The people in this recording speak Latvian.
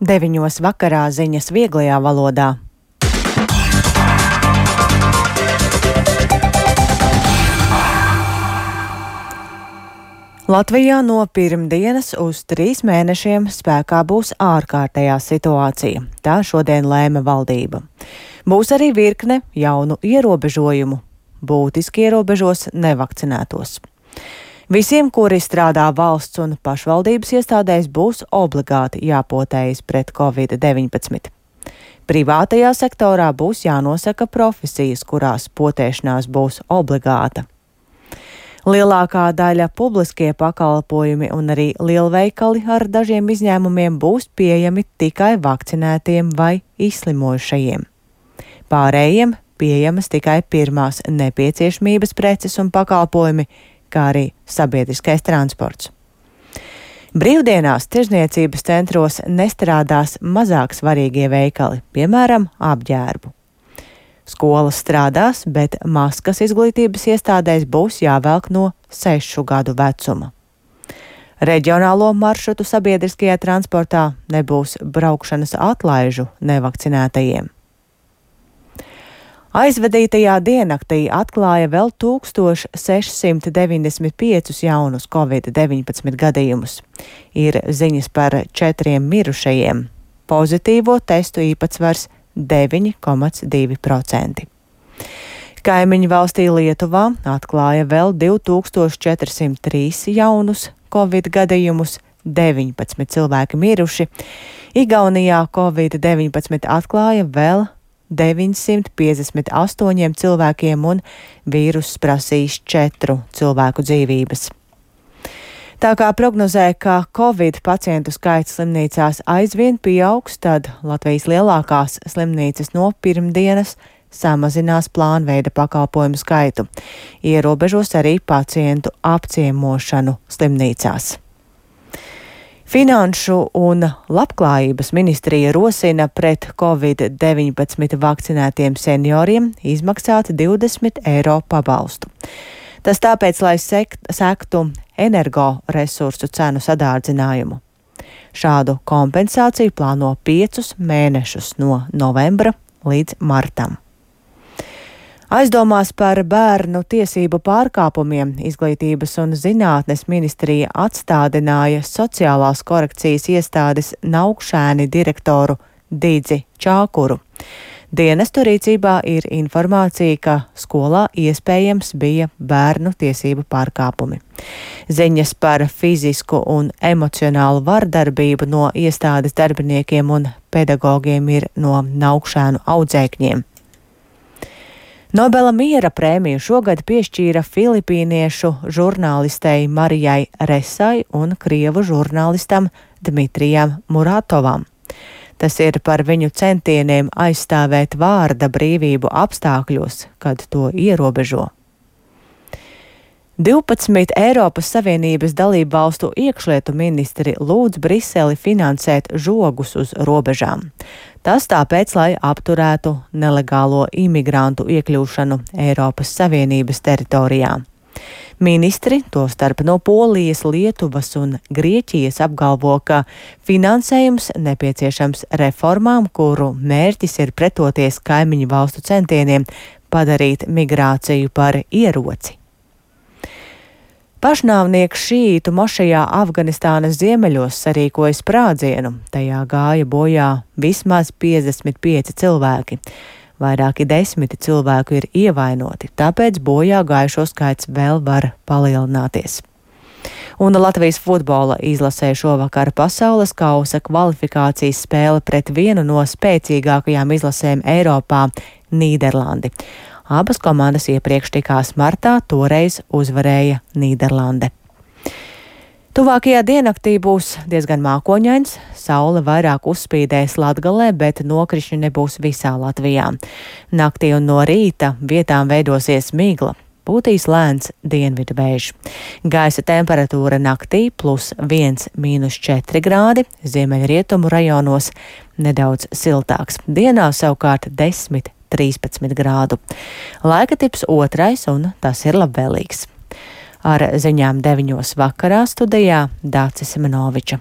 9 vakarā ziņas vieglajā valodā. Latvijā no pirmdienas uz 3 mēnešiem spēkā būs ārkārtējā situācija. Tā šodien lēma valdība. Būs arī virkne jaunu ierobežojumu. Būtiski ierobežos nevakcinētos. Visiem, kuri strādā valsts un pašvaldības iestādēs, būs obligāti jāpotējas pret Covid-19. Privātajā sektorā būs jānosaka profesijas, kurās potēšanās būs obligāta. Lielākā daļa publiskie pakalpojumi un arī lielveikali ar dažiem izņēmumiem būs pieejami tikai vakcinētiem vai izslimojušajiem. Pārējiem pieejamas tikai pirmās nepieciešamības preces un pakalpojumi, kā arī sabiedriskais transports. Brīvdienās tirzniecības centros nestrādās mazāk svarīgie veikali, piemēram, apģērbu. Skolas strādās, bet maskas izglītības iestādēs būs jāvelk no 6 gadu vecuma. Reģionālo maršrutu sabiedriskajā transportā nebūs braukšanas atlaižu nevakcinētajiem. Aizvadītajā diennaktī atklāja vēl 1695 jaunus Covid-19 gadījumus. Ir ziņas par 4 mirušajiem. Pozitīvo testu īpatsvars 9,2%. Kaimiņu valstī Lietuvā atklāja vēl 2403 jaunus Covid gadījumus, 19 cilvēki miruši. Igaunijā Covid-19 atklāja vēl 958 cilvēkiem un vīruss prasīs 4 cilvēku dzīvības. Tā kā prognozē, ka Covid pacientu skaits slimnīcās aizvien pieaugs, tad Latvijas lielākās slimnīcas no pirmdienas samazinās plānveida pakalpojumu skaitu, ierobežos arī pacientu apciemošanu slimnīcās. Finanšu un labklājības ministrija rosina pret Covid-19 vakcinētiem senioriem izmaksāt 20 eiro pabalstu. Tas tāpēc, lai sektu energoresursu cenu sadārdzinājumu. Šādu kompensāciju plāno 5 mēnešus no novembra līdz martam. Aizdomās par bērnu tiesību pārkāpumiem Izglītības un zinātnes ministrija atstādināja sociālās korekcijas iestādes Naukšēni direktoru Didzi Čākuru. Dienestu rīcībā ir informācija, ka skolā iespējams bija bērnu tiesību pārkāpumi. Ziņas par fizisku un emocionālu vardarbību no iestādes darbiniekiem un pedagogiem ir no Naukšēnu audzēkņiem. Nobela miera prēmiju šogad piešķīra filipīniešu žurnālistei Marijai Resai un krievu žurnālistam Dmitrijam Muratovam. Tas ir par viņu centieniem aizstāvēt vārda brīvību apstākļos, kad to ierobežo. 12 Eiropas Savienības dalību valstu iekšlietu ministri lūdz Briseli finansēt žogus uz robežām. Tas tāpēc, lai apturētu nelegālo imigrantu iekļūšanu Eiropas Savienības teritorijā. Ministri, tostarp no Polijas, Lietuvas un Grieķijas, apgalvo, ka finansējums nepieciešams reformām, kuru mērķis ir pretoties kaimiņu valstu centieniem padarīt migrāciju par ieroci. Pašnāvnieks šīītu mošejā Afganistānas ziemeļos sarīkoja sprādzienu. Tajā gāja bojā vismaz 55 cilvēki. Vairāki 10 cilvēku ir ievainoti, tāpēc bojā gājušo skaits vēl var palielināties. Un Latvijas futbola izlasē šovakar pasaules kausa kvalifikācijas spēle pret vienu no spēcīgākajām izlasēm Eiropā – Nīderlandi. Abas komandas iepriekš tikās martā, toreiz uzvarēja Nīderlande. Tuvākajā diennaktī būs diezgan mākoņains, saule vairāk uzspīdēs Latgalē, bet nokrišņi nebūs visā Latvijā. Naktī un no rīta vietām veidosies migla, pūtīs lēns dienvidu vējš. Gaisa temperatūra naktī +1, -4 grādi, ziemeļrietumu rajonos nedaudz siltāks. Dienā savukārt 10–13 grādu. Laika tips 2, un tas ir labvēlīgs. Ar ziņām 9 vakarā studijā Dācis Semenoviča.